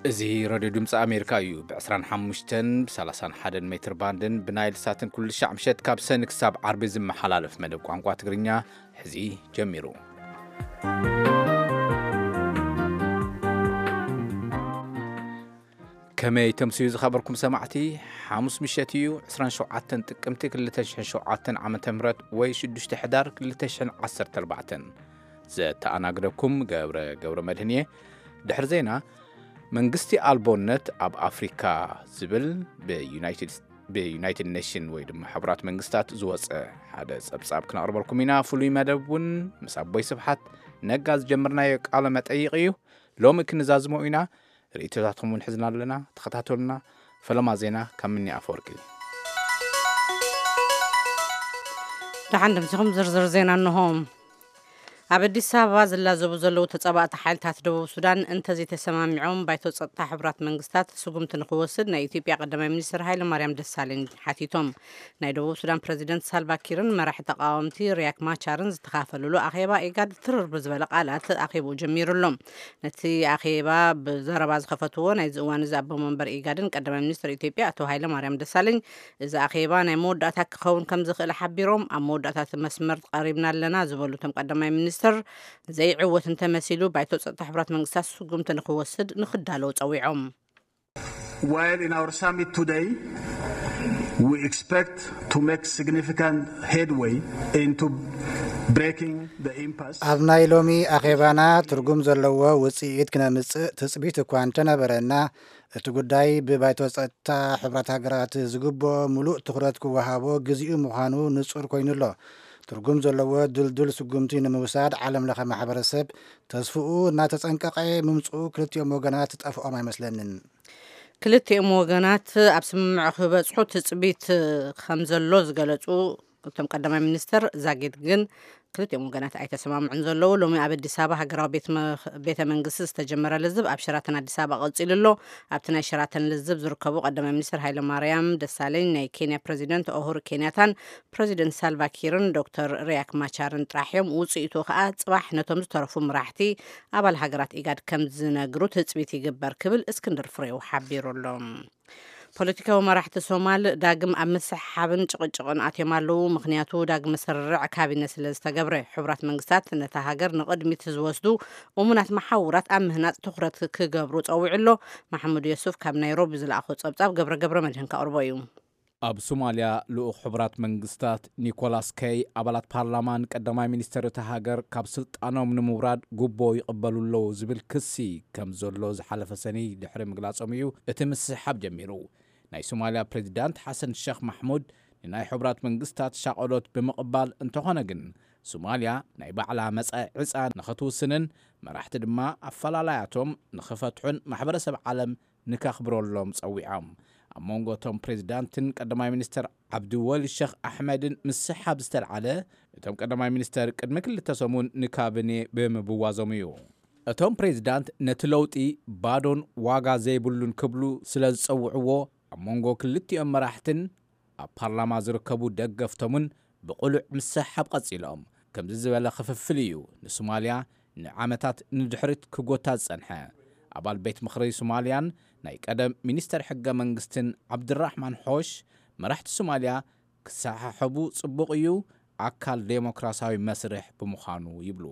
እዚ ሬድዮ ድምፂ ኣሜሪካ እዩ። ብ ዕስራን ሓሙሽተን፣ ብ ሰላሳን ሓደን ሜትር ባንድን ብናይል ሳትን ኩሉ ሻዕ ምሸት ካብ ሰኒ ክሳብ ዓርቢ ዝመሓላለፍ መደብ ቋንቋ ትግርኛ ሕዚ ጀሚሩ። ከመይ ተምስዩ ዝኸበርኩም ሰማዕቲ? ሓሙስ ምሸት እዩ፣ ዕስራን ሸውዓተን ጥቅምቲ ክልተ ሽሕን ሸውዓተን ዓመተ ምህረት ወይ ሽዱሽተ ሕዳር ክልተ ሽሕን ዓሰርተ ኣርባዕተን። ዘተኣናግደኩም ገብረ ገብረ መድህን እየ። ድሕሪ ዜና፣ መንግስቲ ኣልቦነት ኣብ ኣፍሪካ ዝብል ብዩናይትድ፣ ብዩናይትድ ኔሽን ወይ ድማ ሕቡራት መንግስታት ዝወፀ ሓደ ጸብጻብ ክነቕርበልኩም ኢና። ፍሉይ መደብ እውን ምስ ኣቦይ ስብሓት ነጋ ዝጀመርናዮ ቃለ መጠይቕ እዩ። ሎሚ ክንዛዝሞ ኢና። ርእይቶታትኩም እውን ሕዝና ኣለና። ተኸታተሉና። ፈለማ ዜና ካብ ምኒ ኣፈወርቂ። ደሓን ደምሲኹም። ዝርዝር ዜና እንሆ። ኣብ ኣዲስ ኣበባ ዝላዘቡ ዘለዉ ተጻባእቲ ሓይልታት ደቡብ ሱዳን እንተዘይተሰማሚዖም ባይቶ ጸጥታ ሕቡራት መንግስታት ስጉምቲ ንኽወስድ ናይ ኢትዮጵያ ቀዳማይ ሚኒስትር ሃይለ ማርያም ደሳለኝ ሓቲቶም። ናይ ደቡብ ሱዳን ፕረዚደንት ሳልቫ ኪርን መራሒ ተቃወምቲ ሪያክ ማቻርን ዝተኻፈልሉ ኣኼባ ኢጋድ ትርር ብዝበለ ቃላት ኣኼብኡ ጀሚሩ ኣሎ። ነቲ ኣኼባ ብዘረባ ዝኸፈትዎ ናይዚ እዋን እዚ ኣቦ መንበር ኢጋድን ቀዳማይ ሚኒስትር ኢትዮጵያ ኣቶ ሃይለ ማርያም ደሳለኝ፣ እዚ ኣኼባ ናይ መወዳእታ ክኸውን ከም ዝኽእል ሓቢሮም፣ ኣብ መወዳእታ እቲ መስመር ቀሪብና ኣለና ዝበሉ እቶም ቀዳማይ ሚኒስትር፣ ዘይዕወት እንተመሲሉ ባይቶ ጸጥታ ሕቡራት መንግስታት ስጉምቲ ንኽወስድ ንኽዳለዉ ጸዊዖም። While in our summit today, we expect to make significant headway into breaking the impasse. ኣብ ናይ ሎሚ ኣኼባና ትርጉም ዘለዎ ውጽኢት ክነምጽእ ትጽቢት እኳ እንተነበረና፣ እቲ ጉዳይ ብባይቶ ጸጥታ ሕቡራት ሃገራት ዝግብኦ ምሉእ ትኹረት ክወሃቦ ግዜኡ ምዃኑ ንጹር ኮይኑ ኣሎ። ትርጉም ዘለዎ ድልዱል ስጉምቲ ንምውሳድ ዓለም ለኸ ማሕበረሰብ ተስፍኡ እናተጸንቀቐ ምምጽኡ ክልቲኦም ወገናት ዝጠፍኦም ኣይመስለንን። ክልቲኦም ወገናት ኣብ ስምምዕ ክበጽሑ ትጽቢት ከም ዘሎ ዝገለጹ እቶም ቀዳማይ ሚኒስትር ዛጊድ ግን ክልቲኦም ወገናት ኣይተሰማምዑን ዘለዉ። ሎሚ ኣብ ኣዲስ ኣበባ ሃገራዊ ቤት መ-፣ ቤተ መንግስቲ ዝተጀመረ ልዝብ ኣብ ሸራተን ኣዲስ ኣበባ ቀጺሉ ኣሎ። ኣብቲ ናይ ሸራተን ልዝብ ዝርከቡ ቀዳማይ ሚኒስትር ሃይለ ማርያም ደሳለኝ፣ ናይ ኬንያ ፕረዚደንት ኦሁሩ ኬንያታን ፕረዚደንት ሳልቫ ኪርን ዶክተር ሪያክ ማቻርን ጥራሕ እዮም። ውጽኢቱ ከኣ ጽባሕ ነቶም ዝተረፉ መራሕቲ ኣባል ሃገራት ኢጋድ ከም ዝነግሩ ትጽቢት ይግበር ክብል እስክንድር ፍሬው ሓቢሩ ኣሎ። ፖለቲካዊ መራሕቲ ሶማል ዳግም ኣብ ምስሕሓብን ጭቕጭቕን ኣትዮም ኣለዉ። ምኽንያቱ ዳግመ ስርርዕ ካቢነ ስለ ዝተገብረ። ሕቡራት መንግስታት ነታ ሃገር ንቕድሚት ዝወስዱ እሙናት መሓውራት ኣብ ምህናጽ ትኹረት ክገብሩ ጸዊዑ ኣሎ። ማሕሙድ የሱፍ ካብ ናይሮቢ ዝለኣኾ ጸብጻብ ገብረ ገብረ መድህን ከቕርቦ እዩ። ኣብ ሶማልያ ልኡኽ ሕቡራት መንግስታት ኒኮላስ ከይ ኣባላት ፓርላማ ንቀዳማይ ሚኒስተር እታ ሃገር ካብ ስልጣኖም ንምውራድ ጉቦ ይቕበሉ ኣለዉ ዝብል ክሲ ከም ዘሎ ዝሓለፈ ሰኒ ድሕሪ ምግላጾም እዩ እቲ ምስሕሓብ ጀሚሩ። ናይ ሶማልያ ፕሬዚዳንት ሓሰን ሸኽ ማሕሙድ ንናይ ሕቡራት መንግስታት ሻቐሎት ብምቕባል፣ እንተኾነ ግን ሶማልያ ናይ ባዕላ መጻኢ ዕጻ ንኽትውስንን መራሕቲ ድማ ኣፈላላያቶም ንኽፈትሑን ማሕበረሰብ ዓለም ንከኽብረሎም ጸዊዖም። ኣብ መንጎ እቶም ፕሬዚዳንትን ቀዳማይ ሚኒስተር ዓብዲወሊ ሸኽ ኣሕመድን ምስሓብ ዝተልዓለ፣ እቶም ቀዳማይ ሚኒስተር ቅድሚ ክልተ ሰሙን ንካቢኔ ብምብዋዞም እዩ። እቶም ፕሬዚዳንት ነቲ ለውጢ ባዶን ዋጋ ዘይብሉን ክብሉ ስለ ዝጸውዕዎ፣ ኣብ መንጎ ክልቲኦም መራሕትን ኣብ ፓርላማ ዝርከቡ ደገፍቶምን ብቕሉዕ ምስሓብ ቀጺሎም። ከምዚ ዝበለ ክፍፍል እዩ ንሶማልያ ንዓመታት ንድሕሪት ክጎታ ዝጸንሐ። ኣባል ቤት ምኽሪ ሶማልያን ናይ ቀደም ሚኒስተር ሕገ መንግስትን ዓብድራሕማን ሖሽ፣ መራሕቲ ሶማልያ ክሰሓሓቡ ጽቡቕ እዩ፣ ኣካል ዴሞክራሲያዊ መስርሕ ብምዃኑ ይብሉ።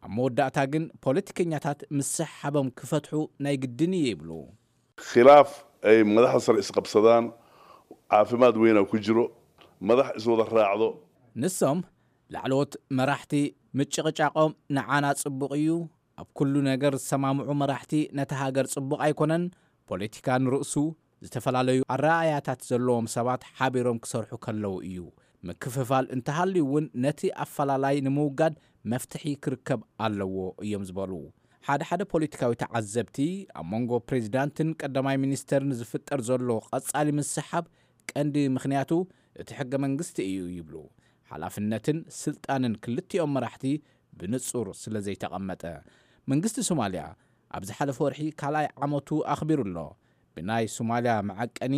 ኣብ መወዳእታ ግን ፖለቲከኛታት ምስሓቦም ክፈትሑ ናይ ግድን እዩ ይብሉ። Khilaaf ay madaxda sare isqabsadaan caafimaad weyn aa ku jiro, madax iswada raacdo. ንሶም ላዕለዎት መራሕቲ ምጭቕጫቖም ንዓና ጽቡቕ እዩ። ኣብ ኩሉ ነገር ዝሰማምዑ መራሕቲ ነታ ሃገር ጽቡቕ ኣይኮነን። ፖለቲካ ንርእሱ ዝተፈላለዩ ኣረኣእያታት ዘለዎም ሰባት ሓቢሮም ክሰርሑ ከለዉ እዩ። ምክፍፋል እንተሃልዩ እውን ነቲ ኣፈላላይ ንምውጋድ መፍትሒ ክርከብ ኣለዎ እዮም ዝበሉ ሓደ ሓደ ፖለቲካዊ ተዓዘብቲ። ኣብ መንጎ ፕሬዚዳንትን ቀዳማይ ሚኒስተርን ዝፍጠር ዘሎ ቀጻሊ ምስሓብ ቀንዲ ምኽንያቱ እቲ ሕገ መንግስቲ እዩ ይብሉ። ሓላፍነትን ስልጣንን ክልቲኦም መራሕቲ ብንጹር ስለ ዘይተቐመጠ። መንግስቲ ሶማልያ ኣብ ዝሓለፈ ወርሒ ካልኣይ ዓመቱ ኣኽቢሩ ኣሎ። ብናይ ሶማልያ መዐቀኒ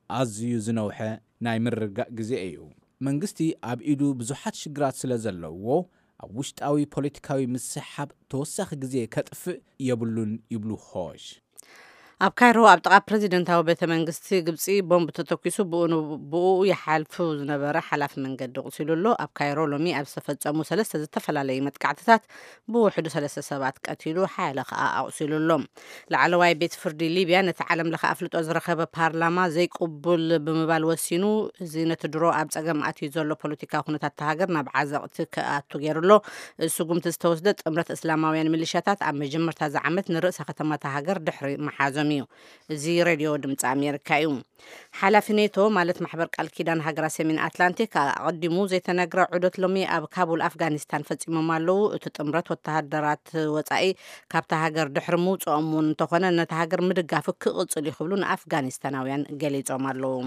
ኣዝዩ ዝነውሐ ናይ ምርግጋእ ግዜ እዩ። መንግስቲ ኣብ ኢዱ ብዙሓት ሽግራት ስለ ዘለውዎ፣ ኣብ ውሽጣዊ ፖለቲካዊ ምስሕሓብ ተወሳኺ ግዜ ከጥፍእ የብሉን ይብሉ ሆሽ። ኣብ ካይሮ ኣብ ጥቓ ፕረዚደንታዊ ቤተ መንግስቲ ግብጺ ቦምብ ተተኲሱ ብኡ ን-፣ ብኡ ይሓልፉ ዝነበረ ሓላፊ መንገዲ ቁሲሉ ኣሎ። ኣብ ካይሮ ሎሚ ኣብ ዝተፈጸሙ ሰለስተ ዝተፈላለዩ መጥቃዕትታት ብውሕዱ ሰለስተ ሰባት ቀቲሉ፣ ሓያለ ከኣ ኣቑሲሉ ኣሎ። ላዕለዋይ ቤት ፍርዲ ሊብያ ነቲ ዓለም ለኸ ኣፍልጦ ዝረኸበ ፓርላማ ዘይቅቡል ብምባል ወሲኑ፣ እዚ ነቲ ድሮ ኣብ ጸገም ኣትዩ ዘሎ ፖለቲካዊ ኩነታት እታ ሃገር ናብ ዓዘቕቲ ክኣቱ ገይሩ ኣሎ። እዚ ስጉምቲ ዝተወስደ ጥምረት እስላማውያን ሚሊሻታት ኣብ መጀመርታ እዚ ዓመት ንርእሰ ከተማ እታ ሃገር ድሕሪ ምሓዞም እዩ። እዚ ሬድዮ ድምፂ ኣሜሪካ እዩ። ሓላፊ ኔቶ፣ ማለት ማሕበር ቃል ኪዳን ሃገራት ሰሜን ኣትላንቲክ፣ ኣቐዲሙ ዘይተነግረ ዑደት ሎሚ ኣብ ካቡል ኣፍጋኒስታን ፈጺሞም ኣለዉ። እቲ ጥምረት ወተሃደራት ወጻኢ ካብታ ሃገር ድሕሪ ምውፅኦም እውን እንተኾነ፣ ነታ ሃገር ምድጋፉ ክቕጽል እዩ ክብሉ ንኣፍጋኒስታናውያን ገሊጾም ኣለዉ።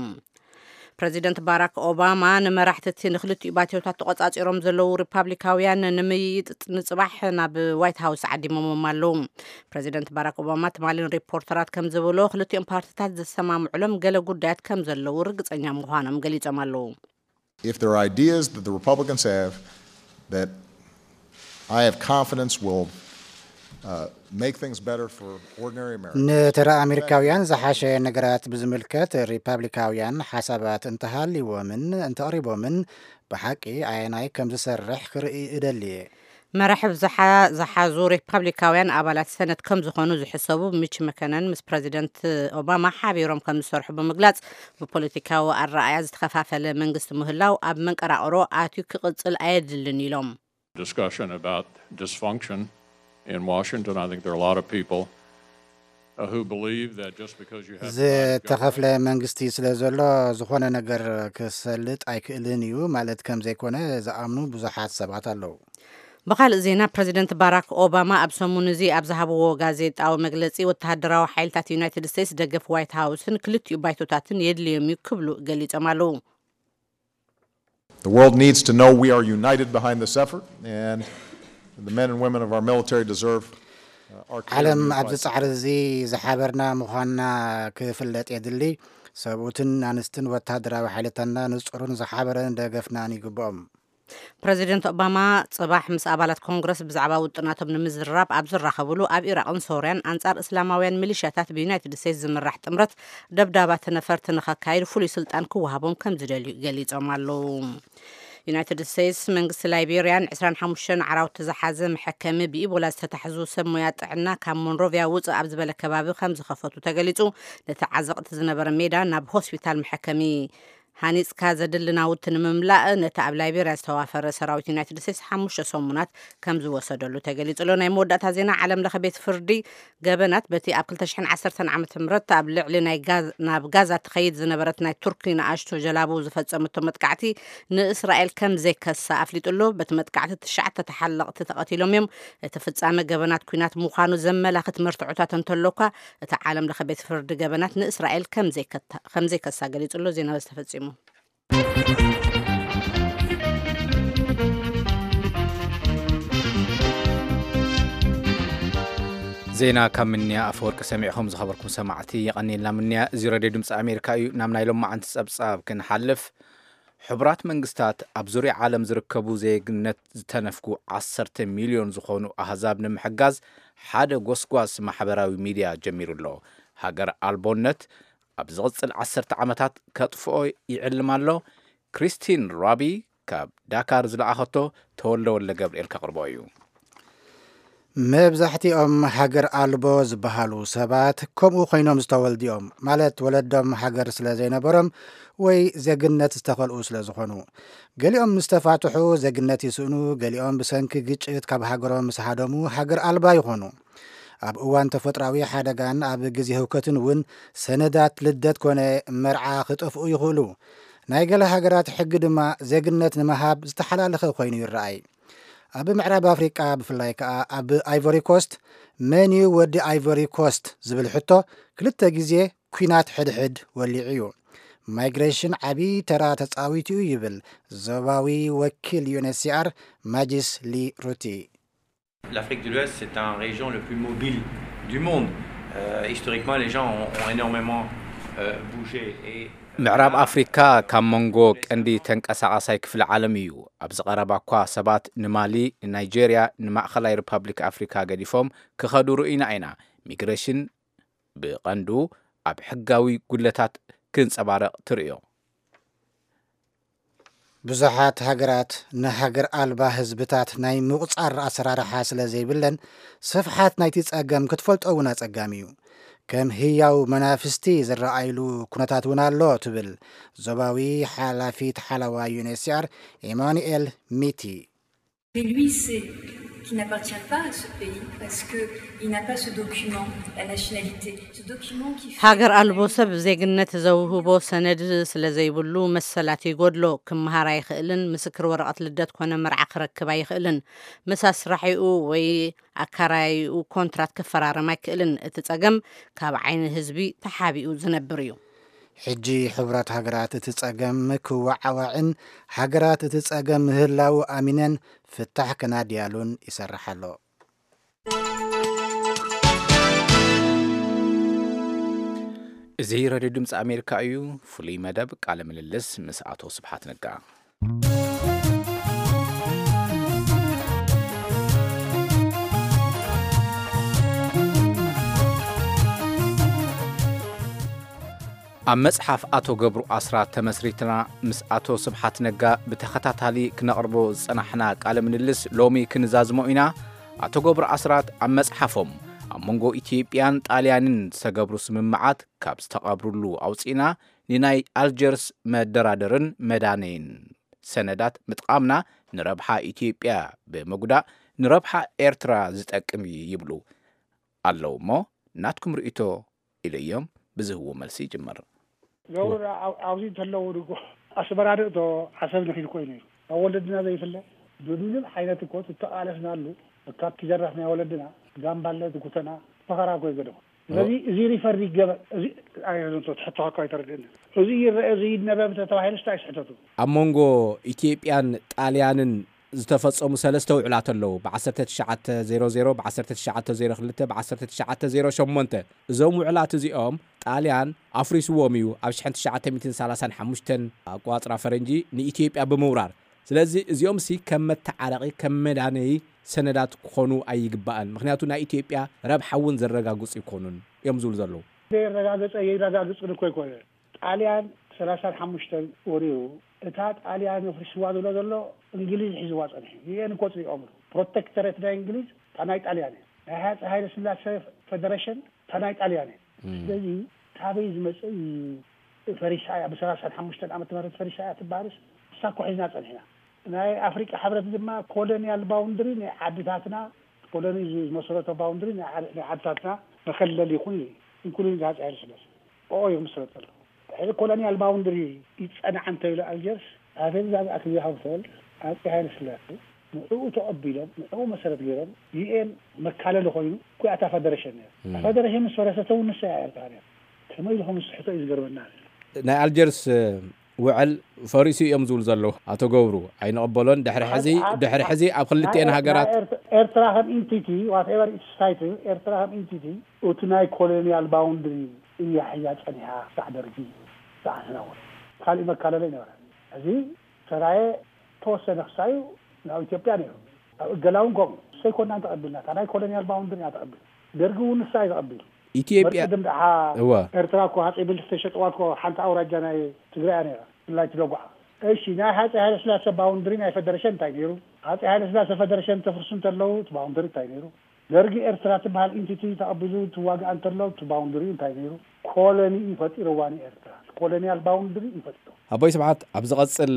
ፕረዚደንት ባራክ ኦባማ ንመራሕቲ እቲ ንክልቲኡ ባትዮታት ተቖጻጺሮም ዘለዉ ሪፓብሊካውያን ንምይይጥ ንጽባሕ ናብ ዋይት ሃውስ ዓዲሞሞም ኣለዉ። ፕረዚደንት ባራክ ኦባማ ትማሊ ንሪፖርተራት ከም ዝበሎ፣ ክልቲኦም ፓርቲታት ዝሰማምዑሎም ገለ ጉዳያት ከም ዘለዉ ርግጸኛ ምዃኖም ገሊጾም ኣለዉ። If there are ideas that the Republicans have that I have confidence will, uh, make things better for ordinary Americans. ንተራ ኣሜሪካውያን ዝሓሸ ነገራት ብዝምልከት ሪፓብሊካውያን ሓሳባት እንተሃልይዎምን እንተቕሪቦምን፣ ብሓቂ ኣየናይ ከም ዝሰርሕ ክርኢ እደሊ እየ። መራሕብ ዝሓ-፣ ዝሓዙ ሪፓብሊካውያን ኣባላት ሰነት ከም ዝኾኑ ዝሕሰቡ ሚች መከነን ምስ ፕረዚደንት ኦባማ ሓቢሮም ከም ዝሰርሑ ብምግላጽ፣ ብፖለቲካዊ ኣረኣያ ዝተኸፋፈለ መንግስቲ ምህላው ኣብ መንቀራቕሮ ኣትዩ ክቕጽል ኣየድልን ኢሎም። Discussion about dysfunction in Washington. I think there are a lot of people, uh, who believe that just because you have a bad government ዝተኸፍለ መንግስቲ ስለ ዘሎ ዝኾነ ነገር ክሰልጥ ኣይክእልን እዩ ማለት ከም ዘይኮነ ዝኣምኑ ብዙሓት ሰባት ኣለዉ። ብኻልእ ዜና፣ ፕረዚደንት ባራክ ኦባማ ኣብ ሰሙን እዚ ኣብ ዝሃብዎ ጋዜጣዊ መግለጺ፣ ወተሃደራዊ ሓይልታት ዩናይትድ ስቴትስ ደገፍ ዋይት ሃውስን ክልቲኡ ባይቶታትን የድልዮም እዩ ክብሉ ገሊጾም ኣለዉ። The world needs to know we are united behind this effort, and the men and women of our military deserve, uh, our clear ዓለም new ኣብዚ vice ጻዕሪ president. እዚ ዝሓበርና ምዃንና ክፍለጥ የድሊ። ሰብኡትን ኣንስትን ወተሃደራዊ ሓይልታትና ንጹርን ዝሓበረን ደገፍናን ይግብኦም። ፕረዚደንት ኦባማ ጽባሕ ምስ ኣባላት ኮንግረስ ብዛዕባ ውጥናቶም ንምዝርራብ ኣብ ዝራኸብሉ፣ ኣብ ኢራቕን ሶርያን ኣንጻር እስላማውያን ሚሊሻታት ብዩናይትድ ስቴትስ ዝምራሕ ጥምረት ደብዳባት ነፈርቲ ንኸካይድ ፍሉይ ስልጣን ክወሃቦም ከም ዝደልዩ ገሊጾም ኣለዉ። ዩናይትድ ስቴትስ መንግስቲ ላይቤርያን ዕስራን ሓሙሽተን ዓራውቲ ዝሓዘ መሐከሚ ብኢቦላ ዝተታሕዙ ሰብ ሞያ ጥዕና ካብ ሞንሮቪያ ውፅእ ኣብ ዝበለ ከባቢ ከም ዝኸፈቱ ተገሊጹ። ነቲ ዓዘቕቲ ዝነበረ ሜዳ ናብ ሆስፒታል መሐከሚ ሃኒጽካ ዘድሊ ናውቲ ንምምላእ ነቲ ኣብ ላይቤርያ ዝተዋፈረ ሰራዊት ዩናይትድ ስቴትስ ሓሙሽተ ሰሙናት ከም ዝወሰደሉ ተገሊጹ ኣሎ። ናይ መወዳእታ ዜና፣ ዓለም ለኸ ቤት ፍርዲ ገበናት በቲ ኣብ ክልተ ሽሕን ዓሰርተን ዓመተ ምህረት ኣብ ልዕሊ ናይ ጋዝ-፣ ናብ ጋዛ ትኸይድ ዝነበረት ናይ ቱርኪ ንኣሽቱ ጀላቡ ዝፈጸመቶ መጥቃዕቲ ንእስራኤል ከም ዘይከሳ ኣፍሊጡ ኣሎ። በቲ መጥቃዕቲ ትሽዓተ ተሓለቕቲ ተቐቲሎም እዮም። እቲ ፍጻመ ገበናት ኲናት ምዃኑ ዘመላኽት መርትዖታት እንተሎኳ፣ እቲ ዓለም ለኸ ቤት ፍርዲ ገበናት ንእስራኤል ከም ዘይከታ-፣ ከም ዘይከሳ ገሊጹ ኣሎ። ዜና በዚ ተፈጺሙ። ዜና ካብ ምንያ ኣፈወርቂ ሰሚዕኹም ዝኸበርኩም ሰማዕቲ፣ የቐንየልና ምንያ። እዚ ሬድዮ ድምፂ ኣሜሪካ እዩ። ናብ ናይ ሎማዓንቲ ጸብጻብ ክንሓልፍ፣ ሕቡራት መንግስታት ኣብ ዙርያ ዓለም ዝርከቡ ዜግነት ዝተነፍጉ ዓሰርተ ሚልዮን ዝኾኑ ኣህዛብ ንምሕጋዝ ሓደ ጎስጓስ ማሕበራዊ ሚድያ ጀሚሩ ኣሎ። ሃገር ኣልቦነት ኣብ ዝቕጽል ዓሰርተ ዓመታት ከጥፍኦ ይዕልም ኣሎ። ክሪስቲን ራቢ ካብ ዳካር ዝለኣኸቶ ተወልደ ወልደ ገብርኤል ከቕርቦ እዩ። መብዛሕትኦም ሃገር ኣልቦ ዝበሃሉ ሰባት ከምኡ ኮይኖም ዝተወልዱ እዮም፣ ማለት ወለዶም ሃገር ስለ ዘይነበሮም ወይ ዜግነት ዝተኸልኡ ስለ ዝኾኑ። ገሊኦም ምስ ተፋትሑ ዜግነት ይስእኑ፣ ገሊኦም ብሰንኪ ግጭት ካብ ሃገሮም ምስ ሃደሙ ሃገር ኣልባ ይኾኑ። ኣብ እዋን ተፈጥሮኣዊ ሓደጋን ኣብ ግዜ ህውከትን እውን ሰነዳት ልደት ኮነ መርዓ ክጠፍኡ ይኽእሉ። ናይ ገለ ሃገራት ሕጊ ድማ ዜግነት ንምሃብ ዝተሓላለኸ ኮይኑ ይረኣይ። ኣብ ምዕራብ ኣፍሪቃ፣ ብፍላይ ከኣ ኣብ ኣይቮሪ ኮስት፣ መን እዩ ወዲ ኣይቮሪ ኮስት ዝብል ሕቶ ክልተ ግዜ ኲናት ሕድሕድ ወሊዑ እዩ። ማይግሬሽን ዓቢ ተራ ተጻዊቱ እዩ ይብል ዞባዊ ወኪል ዩ ኤን ኤች ሲ ኣር ማጂስ ሊ ሩቲ። L'Afrique de l'Ouest, c'est un région le plus mobile du monde. Euh, historiquement, les gens ont, ont énormément, euh, bougé. Et, euh, ምዕራብ ኣፍሪካ ካብ መንጎ ቀንዲ ተንቀሳቓሳይ ክፍሊ ዓለም እዩ። ኣብዚ ቀረባ እኳ ሰባት ንማሊ፣ ንናይጄርያ፣ ንማእኸላይ ሪፓብሊክ ኣፍሪካ ገዲፎም ክኸዱ ርኢና ኢና። ሚግሬሽን ብቐንዱ ኣብ ሕጋዊ ጉድለታት ክንጸባረቕ ትርእዮ። ብዙሓት ሃገራት ንሃገር ኣልባ ህዝብታት ናይ ምቑጻር ኣሰራርሓ ስለ ዘይብለን፣ ስፍሓት ናይቲ ጸገም ክትፈልጦ እውን ኣጸጋሚ እዩ። ከም ህያው መናፍስቲ ዝረኣይሉ ኩነታት እውን ኣሎ ትብል ዞባዊ ሓላፊት ሓለዋ ዩ ኤን ኤች ሲ ኣር ኢማኑኤል ሚቲ። Mais lui, c'est qu'il n'appartient pas à ce pays parce qu'il n'a pas ce document, la nationalité. Ce document qui fait... ሃገር ኣልቦ ሰብ ዜግነት ዘውህቦ ሰነድ ስለ ዘይብሉ መሰላት ይጎድሎ። ክመሃር ኣይኽእልን። ምስክር ወረቐት ልደት ኮነ መርዓ ክረክብ ኣይኽእልን። ምስ ኣስራሒኡ ወይ ኣካራያይኡ ኮንትራት ክፈራረም ኣይክእልን። እቲ ጸገም ካብ ዓይኒ ህዝቢ ተሓቢኡ ዝነብር እዩ። ሕጂ ሕቡራት ሃገራት እቲ ጸገም ክወዓዋዕን ሃገራት እቲ ጸገም ምህላዉ ኣሚነን ፍታሕ ክናድያሉን ይሰርሕ ኣሎ። እዚ ሬድዮ ድምፂ ኣሜሪካ እዩ። ፍሉይ መደብ ቃለ ምልልስ ምስ ኣቶ ስብሓት ነጋ። ኣብ መጽሓፍ ኣቶ ገብሩ ኣስራት ተመስሪትና ምስ ኣቶ ስብሓት ነጋ ብተኸታታሊ ክነቕርቦ ዝጸናሕና ቃለ ምልልስ ሎሚ ክንዛዝሞ ኢና። ኣቶ ገብሩ ኣስራት ኣብ መጽሓፎም ኣብ መንጎ ኢትዮጵያን ጣልያንን ዝተገብሩ ስምምዓት ካብ ዝተቐብርሉ ኣውጺእና ንናይ ኣልጀርስ መደራደርን መዳነይን ሰነዳት ምጥቓምና ንረብሓ ኢትዮጵያ ብምጉዳእ ንረብሓ ኤርትራ ዝጠቅም እዩ ይብሉ ኣለዉ እሞ ናትኩም ርእይቶ ኢለዮም ብዝህብዎ መልሲ ይጅምር። ገብሩ ኣብ- ኣብዚ እንተለዉ ድጎ ኣስመራ ድእቶ ዓሰብ ንኺድ ኮይኑ እዩ ኣብ ወለድና ዘይፍለ ብምንም ዓይነት እኮ ትተቃለስናሉ እካብ ትጀረፍ ናይ ወለድና ጋምባለ ትጉተና ፈኸራ እኮ ይገደፉ። ስለዚ እዚ ሪፈር ይገበር። እዚ ኣይረድእን፣ ትሕቶ እኮ ኣይተረድእን። እዚ ይረአ፣ እዚ ይነበብ እንተተባሂሉ ስታይ ስሕተቱ። ኣብ መንጎ ኢትዮጵያን ጣልያንን ዝተፈጸሙ ሰለስተ ውዕላት ኣለዉ። ብ1900፣ ብ1902፣ ብ1908። እዞም ውዕላት እዚኦም ጣልያን ኣፍሪስዎም እዩ። ኣብ 1935 ኣቋጽራ ፈረንጂ ንኢትዮጵያ ብምውራር። ስለዚ እዚኦም ሲ ከም መተዓረቒ፣ ከም መዳነዪ ሰነዳት ክኾኑ ኣይግባእን። ምኽንያቱ ናይ ኢትዮጵያ ረብሓ እውን ዘረጋግጹ ይኮኑን እዮም ዝብሉ ዘለዉ። ዘየረጋገጸ የረጋግጽን እኮ ይኮነ። ጣልያን ሰላሳን ሓሙሽተን ወሪሩ፣ እታ ጣልያን ኣፍሪስዋ ዝብሎ ዘሎ እንግሊዝ ሒዝዋ ጸኒሑ። ዩኤን እኮ ጽይቆምሉ። ፕሮቴክተሬት ናይ እንግሊዝ እታ ናይ ጣልያን እያ። ናይ ሃፀ ሃይለ ስላሴ ፌደሬሽን እታ ናይ ጣልያን እያ። ስለዚ ካበይ ዝመፀ እዩ? ፈሪሳ እያ፣ ብሰላሳን ሓሙሽተን ዓመተ ምህረት ፈሪሳ እያ ትበሃልስ እሳ እኮ ሒዝና ጸኒሕና። ናይ ኣፍሪቃ ሕብረት ድማ ኮሎኒያል ባውንድሪ ናይ ዓድታትና፣ ኮሎኒ ዝመሰረቶ ባውንድሪ ናይ ዓድ- ናይ ዓድታትና መከለል ይኹን ኢሉ ኢንክሉዲንግ ሃፀ ሃይለ ስላሴ ኦኦ ይምስረት ዘሎ። ድሕሪ ኮሎኒያል ባውንድሪ ይፀናዕ እንተኢሉ ኣልጀርስ ኣፌዛ ኣክብዮ ሃብተወልድ ኣፄ ሃይለ ስላሴ ንዕኡ ተቐቢሎም ንዕኡ መሰረት ገይሮም ዩኤን መካለሊ ኮይኑ እኮ እያ እታ ፈደረሽን ነይራ። እታ ፈደረሽን ምስ ፈረሰት እውን ንሳ እያ ኤርትራ ነይራ። ከመይ ኢልኩም ዝስሕቶ እዩ ዝገርመና። ናይ ኣልጀርስ ውዕል ፈሪሱ እዮም ዝብሉ ዘለዉ ኣቶ ገብሩ ኣይንቕበሎን። ድሕሪ ሕዚ ድሕሪ ሕዚ ኣብ ክልቲኤን ሃገራት ኤርትራ ከም ኢንቲቲ ዋትኤቨር ኢትስ ታይትል ኤርትራ ከም ኢንቲቲ እቲ ናይ ኮሎኒያል ባውንድሪ እያ ሒዛ ጸኒሓ ክሳዕ ደርጊ ክሳዕ ሕና እውን ካልእ መካለለ ይነበረ። እዚ ሰራየ ተወሰነ ክሳዩ ናብ ኢትዮጵያ ነይሩ። ኣብ እገላ እውን ከምኡ ሰይኮናን ተቐቢልና እታ ናይ ኮሎኒያል ባውንድሪ ኢና ተቐቢል ደርጊ እውን ንሳ እዩ ተቐቢሉ። ኢትዮጵያ ቅድም ደሓ እወ ኤርትራ እኮ ሃፀይ ምኒልክ ዝተሸጥዋ እኮ ሓንቲ ኣውራጃ ናይ ትግራይ እያ ነይራ። ብፍላይ እቲ ደጉዓ። እሺ ናይ ሃፀይ ሃይለስላሴ ባውንድሪ ናይ ፈደረሽን እንታይ ነይሩ? ሃፀይ ሃይለስላሴ ፈደረሽን ተፍርሱ እንተለዉ እቲ ባውንደሪ እንታይ ነይሩ? ደርጊ ኤርትራ ትበሃል ኢንቲቲ ተቐቢሉ ትዋግኣ እንተሎ እቲ ባውንደሪ እንታይ ነይሩ? ኮሎኒ እዩ ፈጢርዋ ንኤርትራ። ኮሎኒያል ባውንደሪ እዩ ፈጢሩ። ኣቦይ ስብሓት ኣብ ዝቐጽል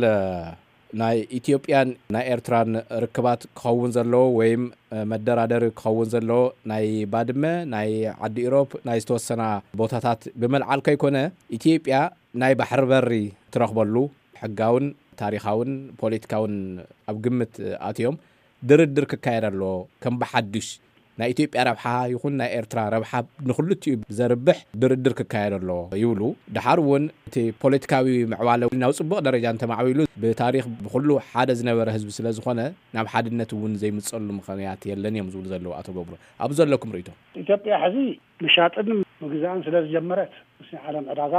ናይ ኢትዮጵያን ናይ ኤርትራን ርክባት ክኸውን ዘለዎ ወይም መደራደሪ ክኸውን ዘለዎ ናይ ባድመ ናይ ዓዲ ኢሮብ ናይ ዝተወሰና ቦታታት ብምልዓል ከይኮነ ኢትዮጵያ ናይ ባሕሪ በሪ ትረኽበሉ ሕጋውን ታሪኻውን ፖለቲካውን ኣብ ግምት ኣትዮም ድርድር ክካየድ ኣለዎ ከም ብሓዱሽ ናይ ኢትዮጵያ ረብሓ ይኹን ናይ ኤርትራ ረብሓ ንክልቲኡ ብዘርብሕ ድርድር ክካየድ ኣለዎ ይብሉ። ድሓር እውን እቲ ፖለቲካዊ ምዕባለ ናብ ፅቡቕ ደረጃ እንተማዕቢሉ ብታሪኽ ብኩሉ ሓደ ዝነበረ ህዝቢ ስለ ዝኾነ ናብ ሓድነት እውን ዘይምፀሉ ምኽንያት የለን እዮም ዝብሉ ዘለዉ ኣቶ ገብሩ። ኣብ ዘለኩም ርእይቶ? ኢትዮጵያ ሕዚ ምሻጥን ምግዛእን ስለ ዝጀመረት ምስ ናይ ዓለም ዕዳጋ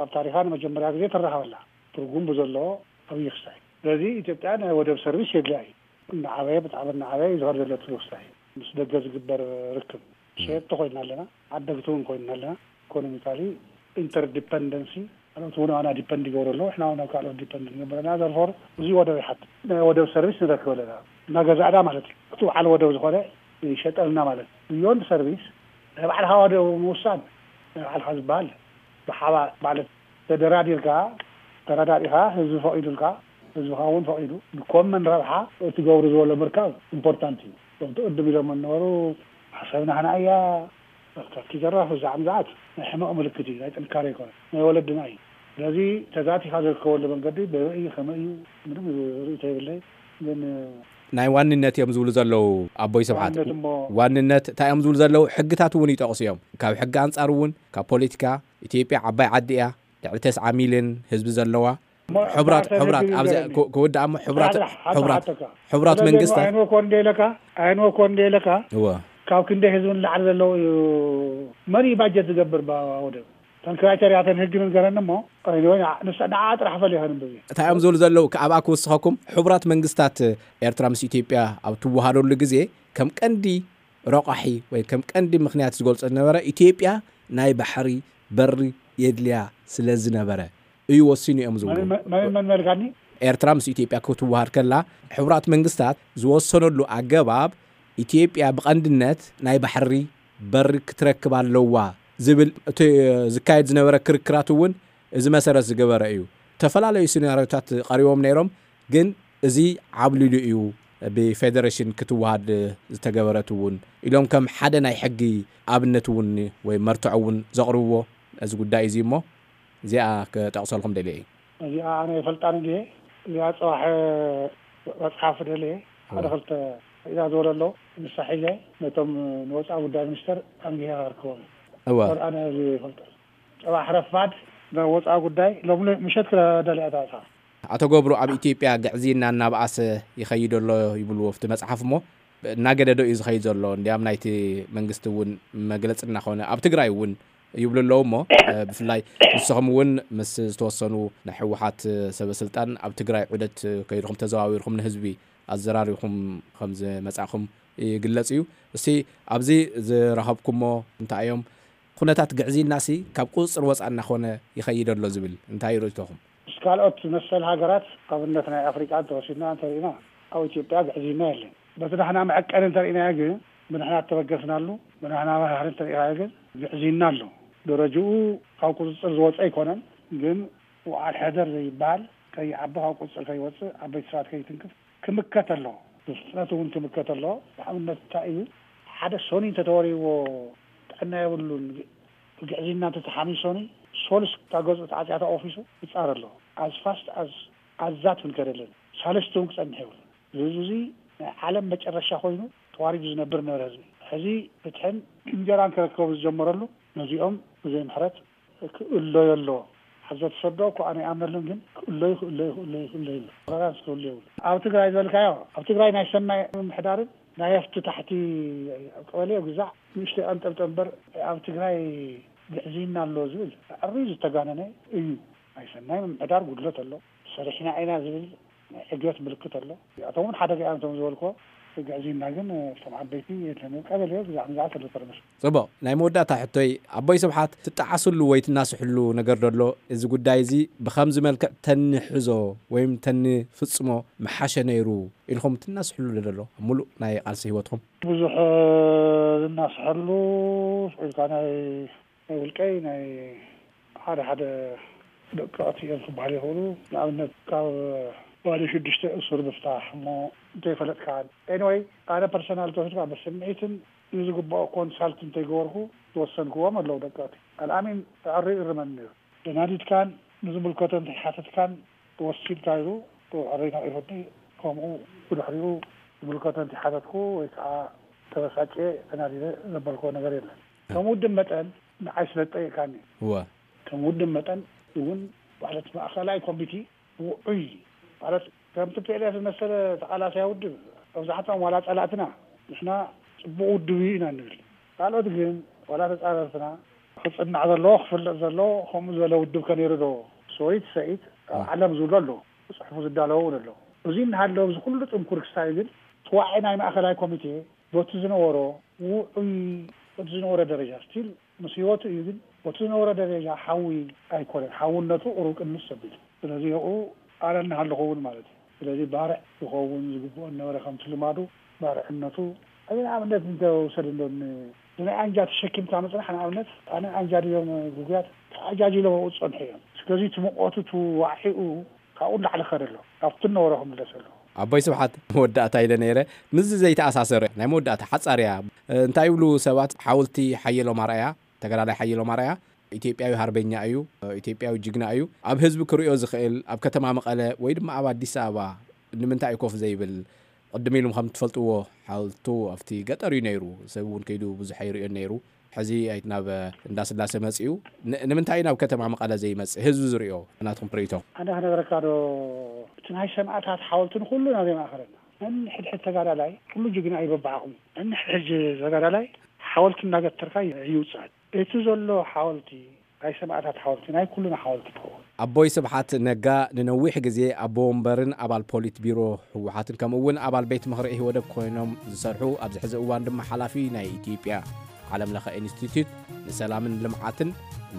ኣብ ታሪኻ ንመጀመርያ ግዜ ትራኸበላ ትርጉም ብዘለዎ ኣብይ ክስታይ። ስለዚ ኢትዮጵያ ናይ ወደብ ሰርቪስ የድልያ እዩ። እናዓበየ ብጣዕሚ እናዓበየ እዩ ዝኸድ ዘሎ እቲ ክስታይ ምስ ደገ ዝግበር ርክብ ሸየጥቲ ኮይና ኣለና፣ ዓደግቲ እውን ኮይና ኣለና። ኢኮኖሚካሊ ኢንተርዲፐንደንሲ፣ ካልኦት እውን ኣና ዲፐንድ ይገብሩ ኣለዉ፣ ሕና እውን ኣብ ካልኦት ዲፐንድ ንገብር ኣለና። ዘርፎር እዚ ወደብ ይሓት ናይ ወደብ ሰርቪስ ንረክብ ኣለና፣ እናገዛእና ማለት እዩ። እቲ በዓል ወደብ ዝኾነ ይሸጠልና ማለት እዩ። ብዮንድ ሰርቪስ ናይ ባዕልኻ ወደብ ምውሳን ናይ ባዕልኻ ዝበሃል ብሓባ ማለት ተደራዲርካ ተረዳዲኻ ህዝቢ ፈቒዱልካ ህዝብኻ እውን ፈቒዱ ንኮመን ረብሓ እትገብሩ ዝበሎ ምርካብ ኢምፖርታንት እዩ። እቶም ትቕድም ኢሎም ነበሩ፣ ሓሳብና ህና እያ። ካብቲ ዘራፍ እዛ ዓምዛዓት ናይ ሕመቕ ምልክት እዩ፣ ናይ ጥንካሬ ይኮነ ናይ ወለድና እዩ። ስለዚ ተዛቲኻ ዝርከበሉ መንገዲ በበይ እዩ ከመይ እዩ ምንም ርእቶ የብለይ። ግን ናይ ዋንነት እዮም ዝብሉ ዘለዉ ኣቦይ ስብሓት። ዋንነት እሞ ዋንነት እንታይ እዮም ዝብሉ ዘለዉ? ሕግታት እውን ይጠቕሱ እዮም። ካብ ሕጊ ኣንጻር እውን ካብ ፖለቲካ፣ ኢትዮጵያ ዓባይ ዓዲ እያ፣ ልዕሊ ተስዓ ሚልዮን ህዝቢ ዘለዋ። እሞ ሕቡራት ማእሰር ሕቡራት ህዝቢ ኣብዚ ንገረኒ። ክወድኣ እሞ ሕቡራት ሓደ ሓደ ሕቡራት ሓተካ። ሕቡራት ስለዚ መንግስታት ኣየንወ ኮን ደለካ ኣየንወ ኮን ደለካ እወ ካብ ክንደይ ህዝቢ ንላዕሊ ዘለዉ እዩ? መን እዩ ባጀት ዝገብር? ባወደብ ተን ክራይተሪያተን ህግን ንገረኒ እሞ። ንሳ ንዓ ጥራሕ ፈል ይኸን ብዙ እንታይ እዮም ዝብሉ ዘለዉ? ኣብኣ ክውስኸኩም፣ ሕቡራት መንግስታት ኤርትራ ምስ ኢትዮጵያ ኣብ ትወሃደሉ ግዜ ከም ቀንዲ ረቋሒ ወይ ከም ቀንዲ ምኽንያት ዝገልጾ ዝነበረ፣ ኢትዮጵያ ናይ ባሕሪ በሪ የድልያ ስለ ዝነበረ እዩ ወሲኑ እዮም ዝብሉ። መን መን መን መልካኒ? ኤርትራ ምስ ኢትዮጵያ ክትወሃድ ከላ፣ ሕቡራት መንግስታት ዝወሰነሉ ኣገባብ፣ ኢትዮጵያ ብቐንድነት ናይ ባሕሪ በሪ ክትረክብ ኣለዋ ዝብል እቲ ዝካየድ ዝነበረ ክርክራት እውን እዚ መሰረት ዝገበረ እዩ። ዝተፈላለዩ ሲናሪዮታት ቀሪቦም ነይሮም፣ ግን እዚ ዓብሊሉ እዩ ብፌደሬሽን ክትወሃድ ዝተገበረት እውን ኢሎም ከም ሓደ ናይ ሕጊ ኣብነት እውን ወይ መርትዖ እውን ዘቕርብዎ እዚ ጉዳይ እዚ እሞ፣ እዚኣ ክጠቕሰልኩም ደልየ እዩ። እዚኣ ኣነ ይፈልጣን እንዲየ። እዚኣ ጽባሕ መጽሓፍ ደልየ ሓደ ክልተ ኢዛ ዝበለሎ ንሳ ሒዘ ነቶም ንወፃኢ ጉዳይ ሚኒስተር ኣንጊሄ ከርክቦም እወ ኣነ ይፈልጠ። ጽባሕ ረፋድ ናብ ወፃኢ ጉዳይ ሎም ምሸት ክደልያ እታ እታ ኣቶ ገብሩ፣ ኣብ ኢትዮጵያ ግዕዝይና እናበኣሰ ይኸይድ ኣሎ ይብልዎ ኣብቲ መጽሓፍ እሞ፣ እናገደዶ እዩ ዝኸይድ ዘሎ። እንዲያም ናይቲ መንግስቲ እውን መግለጺ እናኾነ ኣብ ትግራይ እውን ይብሉ ኣለዉ እሞ፣ ብፍላይ ንስኹም እውን ምስ ዝተወሰኑ ናይ ህወሓት ሰበ ስልጣን ኣብ ትግራይ ዑደት ከይድኹም ተዘዋዊርኩም ንህዝቢ ኣዘራሪብኩም ከም ዝመጻእኹም ይግለጽ እዩ። እስቲ ኣብዚ ዝረኸብኩሞ እንታይ እዮም? ኩነታት ግዕዝይናሲ ካብ ቁፅፅር ወፃእ እናኾነ ይኸይድ ኣሎ ዝብል እንታይ ርእይቶኹም? ምስ ካልኦት መሰል ሃገራት ኣብነት ናይ ኣፍሪቃ እንተወሲድና እንተሪእና ኣብ ኢትዮጵያ ግዕዝይና የለን። በቲ ናሕና መዐቀኒ እንተሪእናዮ ግን ብንሕና እተበገስናሉ ብናሕና መራሕሪ እንተሪእናዮ ግን ግዕዝይና ኣሎ። ደረጅኡ ካብ ቁፅፅር ዝወፀ ኣይኮነን፣ ግን ውዓል ሕደር ዘይበሃል ከይዓቢ ካብ ቁፅፅር ከይወፅእ ዓበይቲ ሰባት ከይትንክፍ ክምከት ኣለዎ። ብፍጥነት እውን ክምከት ኣለዎ። ንኣብነት እንታይ እዩ ሓደ ሶኒ እንተተወሪዎ ጥዕና የብሉን። ግዕዝይና እንተተሓሚሶኒ ሶልስ ካብ ገዝኡ ተዓፅያ ተቆፊሱ ይፃር ኣሎ። ኣዝ ፋስት ኣዝ ኣዛት ክንከደለን ሳለስቲ እውን ክፀንሕ የብሉን። እዚ ህዝቢ እዚ ናይ ዓለም መጨረሻ ኮይኑ ተዋሪዱ ዝነብር ነበረ ህዝቢ። ሕዚ ፍትሕን እንጀራን ክረከቡ ዝጀመረሉ ነዚኦም ብዘይ ምሕረት ክእለዮ ኣለዎ። ኣብ ዘተሰዶ እኮ ኣነ ይኣምነሉን ግን ክእለዩ ክእለዩ ክእለዩ ክእለዩ ኣሎ። ቶለራንስ ክህሉ የብሉ። ኣብ ትግራይ ዝበልካዮ ኣብ ትግራይ ናይ ሰናይ ምምሕዳርን ናይ ኣፍቲ ታሕቲ ኣብ ቀበሌ ግዛዕ ንእሽተይ ቀንጠብጠ እምበር ኣብ ትግራይ ግዕዝይና ኣሎ ዝብል ኣዕርዩ ዝተጋነነ እዩ። ናይ ሰናይ ምምሕዳር ጉድለት ኣሎ። ሰሪሕና ኢና ዝብል ናይ ዕግበት ምልክት ኣሎ። እዚኣቶም እውን ሓደጋ እዮም እቶም ዝበልኮ ግዕዝይና ግን እቶም ዓበይቲ የለን ቀበሌ ግዛዕ ምዛዕ ተሎ ተረመስ። ፅቡቕ፣ ናይ መወዳእታ ሕቶይ ኣቦይ ስብሓት ትጠዓስሉ ወይ ትናስሕሉ ነገር ደሎ? እዚ ጉዳይ እዚ ብኸምዚ መልክዕ ተንሕዞ ወይም ተንፍፅሞ ምሓሸ ነይሩ ኢልኩም ትናስሕሉ ደሎ ኣብ ሙሉእ ናይ ቃልሲ ህይወትኩም? ብዙሕ ዝናስሐሉ ኢልካ ናይ ናይ ውልቀይ ናይ ሓደ ሓደ ደቀቕቲ እዮም ክበሃል ይኽእሉ። ንኣብነት ካብ ዋዲ ሽዱሽተ እሱር ምፍታሕ እሞ እንተይፈለጥካ። ኤኒወይ ኣነ ፐርሰናል ተወሲድካ ብስምዒትን ንዝግባኦ ኮንሳልት እንተይገበርኩ ዝወሰንክዎም ኣለዉ ደቀቕቲ። ኣልኣሚን ኣዕሪ ይእርመኒ ነይሩ። ተናዲድካን ንዝምልከቶ እንተይሓተትካን ወሲድካ ኢሉ ዕረይ ነቒፉኒ። ከምኡ ብድሕሪኡ ዝምልከቶ እንተይሓተትኩ ወይ ከዓ ተበሳጭየ ተናዲደ ዘበልክዎ ነገር የለን። ከም ውድብ መጠን ንዓይ ስለ ዝጠየቅካኒ እወ ከም ውድብ መጠን እውን ማለት ማእኸላይ ኮሚቴ ውዑይ ማለት ከም ቲ ፒ ኤል ኤፍ ዝመሰለ ተቓላሳይ ውድብ መብዛሕትኦም ዋላ ፀላእትና ንሕና ፅቡቕ ውድብ እዩ ኢና ንብል። ካልኦት ግን ዋላ ተፃረርትና ክፅናዕ ዘለዎ ክፍለጥ ዘለዎ ከምኡ ዝበለ ውድብ ከነይሩ ዶ ሰይት ሰይት ኣብ ዓለም ዝብሎ ኣሎ ክፅሕፉ ዝዳለዎ እውን ኣሎ። እዚ እናሃለወ እዚ ኩሉ ጥንኩር ክሳይ ግን ተዋዒ ናይ ማእኸላይ ኮሚቴ በቲ ዝነበሮ ውዑይ በቲ ዝነበረ ደረጃ ስቲል ምስ ህይወቱ እዩ። ግን በቲ ዝነበረ ደረጃ ሓዊ ኣይኮነን። ሓውነቱ ቁሩብ ቅንስ ኣቢሉ። ስለዚ ይኹ ኣነ እናሃለኹ እውን ማለት እዩ። ስለዚ ባርዕ ዝኸውን ዝግብኦ ነበረ። ከምቲ ልማዱ ባርዕነቱ፣ እዚ ንኣብነት እንተውሰድ እንዶ ን-፣ ብናይ ኣንጃ ተሸኪምካ ምጽናሕ፣ ንኣብነት ኣነ ኣንጃ ድዮም ግጉያት ተዓጃጅሎም ኣብኡ ዝጸንሑ እዮም። ስለዚ እቲ ሙቐቱ እቲ ዋዕሒኡ ካብኡ ንላዕሊ ከደ ኣሎ። ካብቲ ነበረ ክምለስ ኣሎ። ኣቦይ ስብሓት፣ መወዳእታ ኢለ ነይረ። ምስዚ ዘይተኣሳሰረ ናይ መወዳእታ ሓጻር እያ። እንታይ ይብሉ ሰባት? ሓወልቲ ሓየሎም ኣርኣያ፣ ተጋዳላይ ሓየሎም ኣርኣያ ኢትዮጵያዊ ሃርበኛ እዩ፣ ኢትዮጵያዊ ጅግና እዩ። ኣብ ህዝቢ ክርእዮ ዝኽእል፣ ኣብ ከተማ መቐለ ወይ ድማ ኣብ ኣዲስ ኣበባ ንምንታይ እዩ ኮፍ ዘይብል? ቅድም ኢሉም ከም ትፈልጥዎ፣ ሓወልቱ ኣብቲ ገጠር እዩ ነይሩ። ሰብ እውን ከይዱ ብዙሕ ኣይርእዮን ነይሩ። ሕዚ ኣይ-፣ ናብ እንዳስላሴ መጺኡ። ን-፣ ንምንታይ እዩ ናብ ከተማ መቐለ ዘይመጽእ? ህዝቢ ዝርእዮ ናትኩም ርእይቶ። ኣነ ክነግረካ ዶ፣ እቲ ናይ ሰማእታት ሓወልቲ ንኹሉና ዘየማእኸለና። ነንሕድሕድ ተጋዳላይ ኩሉ ጅግና እዩ በብዓቕሙ። ነንሕድሕድ ተጋዳላይ ሓወልቲ እናገተርካ ይውጻእ። እቲ ዘሎ ሓወልቲ ናይ ሰማእታት ሓወልቲ ናይ ኩሉና ሓወልቲ ይኸውን። ኣቦይ ስብሓት ነጋ ንነዊሕ ግዜ ኣቦ ወንበርን ኣባል ፖሊት ቢሮ ህወሓትን ከምኡ እውን ኣባል ቤት ምኽሪ ኢህወደግ ኮይኖም ዝሰርሑ፣ ኣብዚ ሕዚ እዋን ድማ ሓላፊ ናይ ኢትዮጵያ ዓለም ለኸ ኢንስቲትዩት ንሰላምን ልምዓትን፣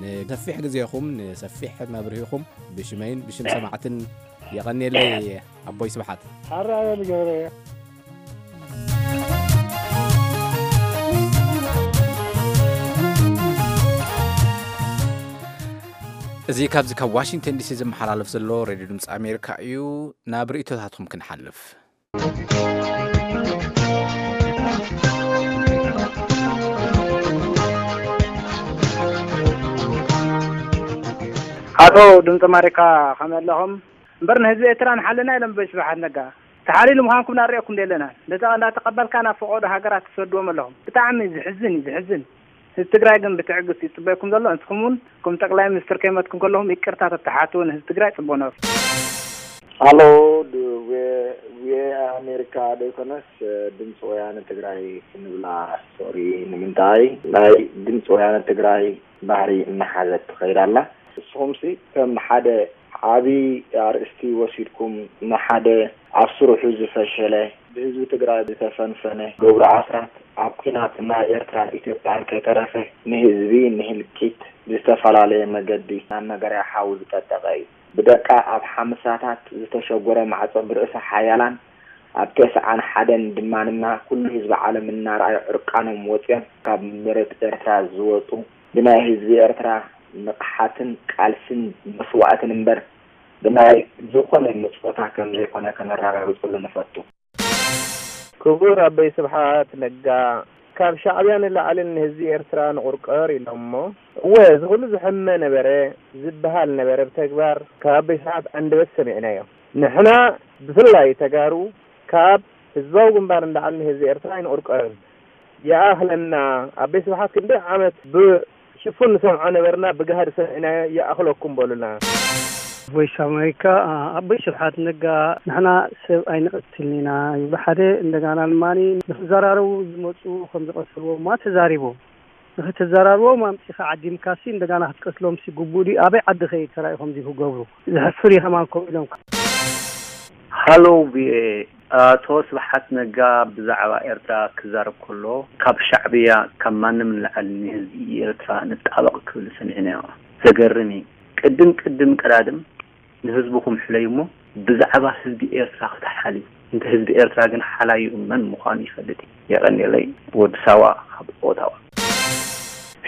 ንሰፊሕ ግዜኹም ንሰፊሕ መብርሂኹም ብሽመይን ብሽም ሰማዕትን የቐንየለይ ኣቦይ ስብሓት። ኣራየ ልገብረ። እዚ ካብዚ ካብ ዋሽንግተን ዲሲ ዝመሓላለፍ ዘሎ ሬድዮ ድምፂ ኣሜሪካ እዩ። ናብ ርእይቶታትኩም ክንሓልፍ። ኣቶ ድምፂ ኣሜሪካ ከመይ ኣለኹም? እምበር ንህዝቢ ኤርትራ ንሓልና ኢሎም በይ ስብሓት ነጋ። ተሓሊሉ ምዃንኩም ናርእየኩም ደለና። ነዚ እንዳተቐበልካ ናብ ፈቐዶ ሃገራት ትሰድዎም ኣለኹም። ብጣዕሚ ዝሕዝን እዩ፣ ዝሕዝን። ህዝቢ ትግራይ ግን ብትዕግስቲ ይጽበየኩም ዘሎ። ንስኹም እውን ከም ጠቅላይ ሚኒስትር ከይመትኩም ከለኹም ይቅርታ ተተሓቱ ንህዝቢ ትግራይ ጽቡቅ ነብር። ሃሎ፣ ድ-፣ ዌ-፣ ዌ ኣሜሪካ ዶ ይኮነስ፣ ድምፂ ወያነ ትግራይ ክንብላ? ሶሪ፣ ንምንታይ ናይ ድምፂ ወያነ ትግራይ ባህሪ እናሓዘት ትኸይድ ኣላ። ንስኹምሲ ከም ሓደ ዓቢ ኣርእስቲ ወሲድኩም ንሓደ ኣብ ስርሑ ዝፈሸለ፣ ብህዝቢ ትግራይ ዝተፈንፈነ ገብሩ ኣስራት ኣብ ኲናት ናይ ኤርትራን ኢትዮጵያን ከይተረፈ ንህዝቢ ንህልቂት ብዝተፈላለየ መገዲ ናብ መገርያ ሓዊ ዝጠጠቐ እዩ። ብደቃ ኣብ ሓምሳታት ዝተሸጎረ ማዕጾ ብርእሰ ሓያላን ኣብ ተስዓን ሓደን ድማንና ኩሉ ህዝቢ ዓለም እናረኣዩ ዕርቃኖም ወጺኦም ካብ መሬት ኤርትራ ዝወጹ ብናይ ህዝቢ ኤርትራ ንቕሓትን ቃልስን መስዋእትን እምበር ብናይ ዝኾነ ምጽወታ ከም ዘይኮነ ከነረጋግጸሉ ንፈቱ። ክቡር ኣቦይ ስብሓት ነጋ፣ ካብ ሻዕብያ ንላዕሊ ንህዝቢ ኤርትራ ንቑርቀር ኢሎሞ። እወ፣ እዚ ኩሉ ዝሕመ ነበረ፣ ዝበሃል ነበረ። ብተግባር ካብ ኣቦይ ስብሓት ኣንደበት ሰሚዕናዮ። ንሕና ብፍላይ ተጋሩ ካብ ህዝባዊ ግንባር ንላዕሊ ንህዝቢ ኤርትራ ኣይንቑርቀርን። ይኣኽለና። ኣቦይ ስብሓት ክንደይ ዓመት ብሽፉን ንሰምዖ ነበርና፣ ብገሃድ ሰሚዕናዮ፣ ይኣኽለኩም በሉና። ቮይስ ኣሜሪካ፣ ኣቦይ ስብሓት ነጋ፣ ንሕና ሰብ ኣይንቐትልን ኢና ይብሉ ሓደ፣ እንደገና ድማ ንክዘራረቡ ዝመፁ ከም ዝቐተልዎም ተዛሪቦም። ንክትዘራርቦም ኣምፂኻ ዓዲምካሲ እንደገና ክትቀትሎም ሲ ግቡእ ድዩ? ኣበይ ዓዲ ከይድ ተራእዩ ከምዚ ክገብሩ? ዘሕፍር እዩ ከማን ከምኡ ኢሎም። ሃሎ ቪኦኤ፣ ኣቶ ስብሓት ነጋ ብዛዕባ ኤርትራ ክዛረብ ከሎ ካብ ሻዕብያ ካብ ማንም ንላዕሊ ንህዝቢ ኤርትራ ንጣበቕ ክብል ሰሚዕናዮ። ዘገርም እዩ። ቅድም ቅድም ቀዳድም ንህዝብኹም ሕለዩ እሞ ብዛዕባ ህዝቢ ኤርትራ ክትሓልዩ። እንተ ህዝቢ ኤርትራ ግን ሓላዩ መን ምዃኑ ይፈልጥ እዩ። የቐንየለይ፣ ወዲ ሳዋ ካብ ኦታዋ።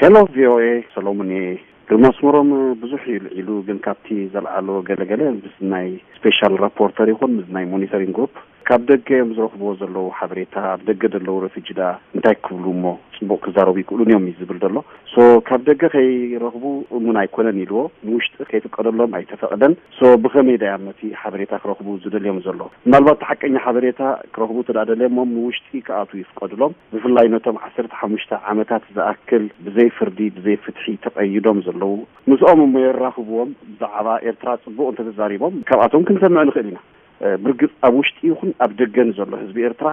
ሄሎ ቪኦኤ፣ ሰሎሙን እየ። ግርማ ኣስመሮም ብዙሕ እዩ ልዒሉ፣ ግን ካብቲ ዘልዓሎ ገለገለ ምስ ናይ ስፔሻል ራፖርተር ይኹን ምስ ናይ ሞኒተሪንግ ግሩፕ ካብ ደገ እዮም ዝረኽብዎ ዘለዉ ሓበሬታ፣ ኣብ ደገ ዘለዉ ረፊጂ ደኣ እንታይ ክብሉ እሞ ጽቡቕ ክዛረቡ ይክእሉን እዮም እዩ ዝብል ዘሎ። ሶ ካብ ደገ ከይረኽቡ እሙን ኣይኮነን ኢልዎ፣ ንውሽጢ ከይፍቀደሎም ኣይተፈቕደን። ሶ ብኸመይ ደኣ ነቲ ሓበሬታ ክረኽቡ ዝደልዮም ዘሎ? ምናልባት እቲ ሓቀኛ ሓበሬታ ክረኽቡ እንተ ደኣ ደልዮሞም ንውሽጢ ክኣትዉ ይፍቀድሎም። ብፍላይ ነቶም ዓሰርተ ሓሙሽተ ዓመታት ዝኣክል ብዘይ ፍርዲ፣ ብዘይ ፍትሒ ተቐይዶም ዘለዉ፣ ምስኦም እሞ የራኽብዎም። ብዛዕባ ኤርትራ ጽቡቕ እንተተዛሪቦም ካብኣቶም ክንሰምዕ ንኽእል ኢና። እ፣ ብርግጽ ኣብ ውሽጢ ይኹን ኣብ ደገ ንዘሎ ህዝቢ ኤርትራ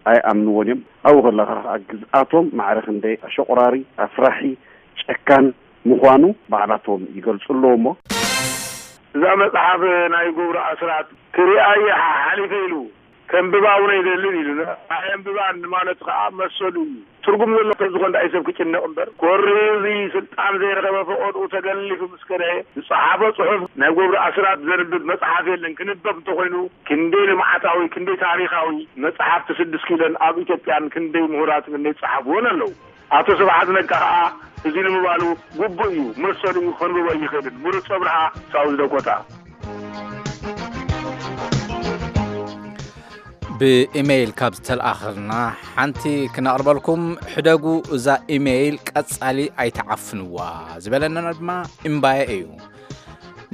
ኣይኣምንዎን እዮም። ኣብኡ ከለኻ ኸኣ ግዝኣቶም ማዕረ ክንደይ ኣሸቑራሪ፣ ኣፍራሒ፣ ጨካን ምዃኑ ባዕላቶም ይገልጹ ኣለዉ እሞ። እዛ መጽሓፍ ናይ ገብሩ ኣስራት ክሪኣ እየ ሓ-፣ ሓሊፈ ኢሉ። ከንብባ እውን ኣይደልን ኢሉና። ኣየንብባን ማለት ከዓ መሰሉ እዩ። ትርጉም ዘሎ ተዝኾን ደኣ ሰብ ክጭነቕ እምበር፣ ኮሪ እዚ ስልጣን ዘይረኸበ ፈቐድኡ ተገሊፉ ምስ ከደ ዝጸሓፎ ጽሑፍ ናይ ገብሩ ኣስራት ዘንብብ መጽሓፍ የለን። ክንበብ እንተኾይኑ ክንደይ ልምዓታዊ፣ ክንደይ ታሪኻዊ መጽሓፍቲ ስድስት ኪሎን ኣብ ኢትዮጵያን ክንደይ ምሁራት ክንደይ ዝጸሓፍዎን ኣለዉ። ኣቶ ስብሓት ነጋ ከዓ እዚ ንምባሉ ግቡእ እዩ፣ መሰሉ እዩ፣ ከንብቦ ይኽእልን። ምሩፅ ኣብርሃ ሳውዝ ዳኮታ። ብኢሜይል ካብ ዝተልኣኸልና ሓንቲ ክነቕርበልኩም። ሕደጉ እዛ ኢሜይል ቀጻሊ ኣይትዓፍንዋ ዝበለና ድማ እምባየ እዩ።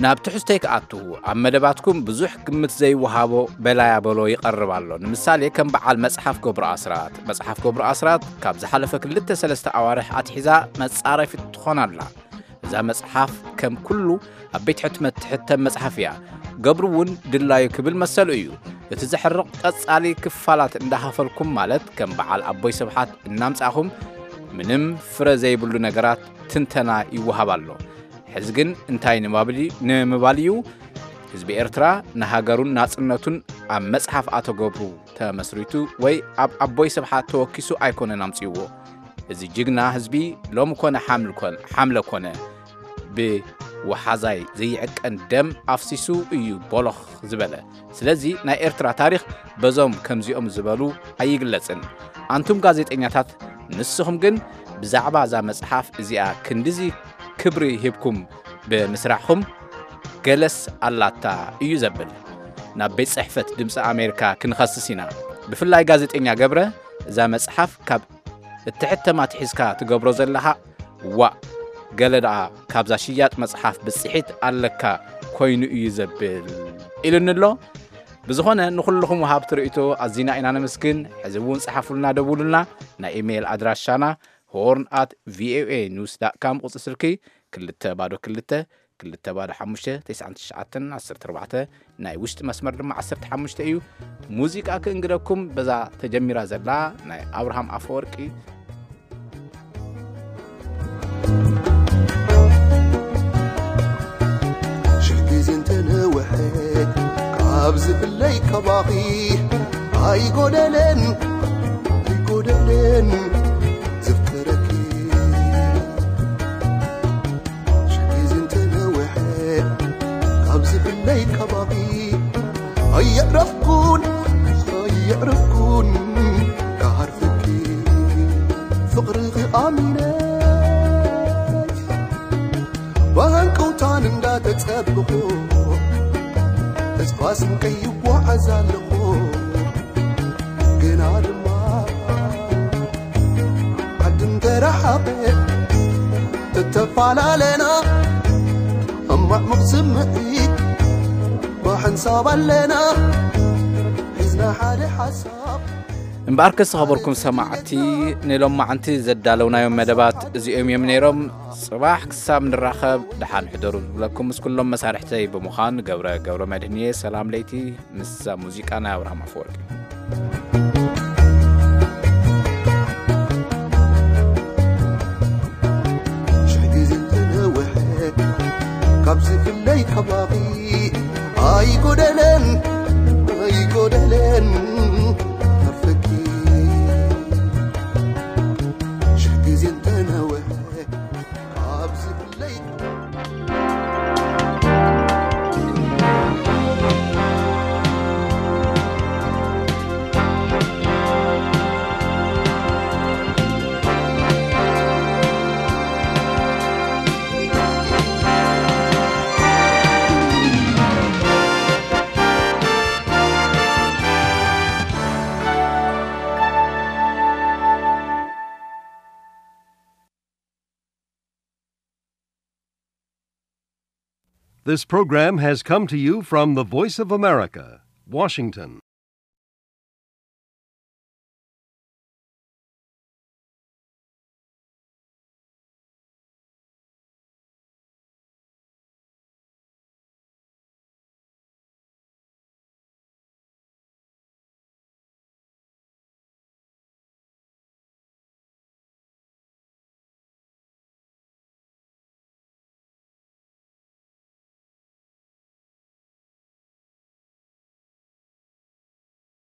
ናብ ትሕዝቶይ ክኣቱ፣ ኣብ መደባትኩም ብዙሕ ግምት ዘይወሃቦ በላያ በሎ ይቐርብ ኣሎ። ንምሳሌ ከም በዓል መጽሓፍ ገብሩ ኣስራት። መጽሓፍ ገብሩ ኣስራት ካብ ዝሓለፈ ክልተ ሰለስተ ኣዋርሕ ኣትሒዛ መጻረፊት ትኾን ኣላ። እዛ መጽሓፍ ከም ኩሉ ኣብ ቤት ሕትመት ትሕተም መጽሓፍ እያ። ገብሩ እውን ድላዩ ክብል መሰሉ እዩ። እቲ ዘሕርቕ ቀጻሊ ክፋላት እንዳኸፈልኩም፣ ማለት ከም በዓል ኣቦይ ስብሓት እናምጻእኹም ምንም ፍረ ዘይብሉ ነገራት ትንተና ይወሃብ ኣሎ። ሕዚ ግን እንታይ ንምባል እዩ? ህዝቢ ኤርትራ ንሃገሩን ናጽነቱን ኣብ መጽሓፍ ኣቶ ገብሩ ተመስሪቱ ወይ ኣብ ኣቦይ ስብሓት ተወኪሱ ኣይኮነን ኣምጺእዎ። እዚ ጅግና ህዝቢ ሎሚ ኮነ ሓምል ኮነ፣ ሓምለ ኮነ ብወሓዛይ ዘይዕቀን ደም ኣፍሲሱ እዩ ቦሎኽ ዝበለ። ስለዚ ናይ ኤርትራ ታሪኽ በዞም ከምዚኦም ዝበሉ ኣይግለጽን። ኣንቱም ጋዜጠኛታት፣ ንስኹም ግን ብዛዕባ እዛ መጽሓፍ እዚኣ ክንድዚ ክብሪ ሂብኩም ብምስራሕኹም ገለስ ኣላታ እዩ ዘብል። ናብ ቤት ጽሕፈት ድምፂ ኣሜሪካ ክንኸስስ ኢና። ብፍላይ ጋዜጠኛ ገብረ እዛ መጽሓፍ ካብ እትሕተማ ትሒዝካ ትገብሮ ዘለኻ ዋእ ገለ ደኣ ካብዛ ሽያጥ መጽሓፍ ብጽሒት ኣለካ ኮይኑ እዩ ዘብል ኢሉኒ ኣሎ። ብዝኾነ ንኹልኹም ወሃብቲ ርእይቶ ኣዚና ኢና ነመስግን። ሕዚ እውን ጸሓፉልና፣ ደውሉልና። ናይ ኢሜይል ኣድራሻና ሆርን ኣት ቪኦኤ ኒውስ ዳት ካም፣ ቁጽሪ ስልኪ ክልተ ባዶ ክልተ ክልተ ባዶ ሓሙሽተ ተስዓን ትሽዓተን ዓሰርተ ኣርባዕተ፣ ናይ ውሽጢ መስመር ድማ ዓሰርተ ሓሙሽተ እዩ። ሙዚቃ ክእንግደኩም በዛ ተጀሚራ ዘላ ናይ ኣብርሃም ኣፈወርቂ። ሽሕ ግዜ እንተነውሐ ካብ ዝብለይ ካባኺ ኣይጎደለን ኣይጎደለን ዘፍቅረኪ። ሽሕ ግዜ እንተነውሐ ካብ ዝብለይ ካባኺ ኣየዕረፍኩን ኣየዕረፍኩን ክዓርፈኪ ፍቕርኺ ኣሚነ ብሃንቀውታን እንዳተጸበኹ ተስፋ ስንቀይ ይጓዓዝ ኣለኹ። ግና ድማ ዓዲ እንተረሓቐ እተፈላለና እማዕሙቕ ስምዒት ብሓንሳብ ኣለና ሒዝና ሓደ ሓሳብ። እምበኣርከስ ዝኸበርኩም ሰማዕቲ፣ ንሎማዕንቲ ዘዳለውናዮም መደባት እዚኦም እዮም ነይሮም። ጽባሕ ክሳብ ንራኸብ ደሓን ሕደሩ ዝብለኩም ምስ ኩሎም መሳርሕተይ ብምዃን ገብረ ገብረ መድህን እየ። ሰላም ለይቲ ምስዛ ሙዚቃ ናይ ኣብርሃም ኣፈወርቂ። ሽሕ ግዜ እንተነውሐ ካብ ዝፍለይ ካባኺ ኣይጎደለን ኣይጎደለን ዓርፈኪ። ሽሕ ግዜ እንተነውሐ ካብ ዝፍለይ This program has come to you from the Voice of America, Washington.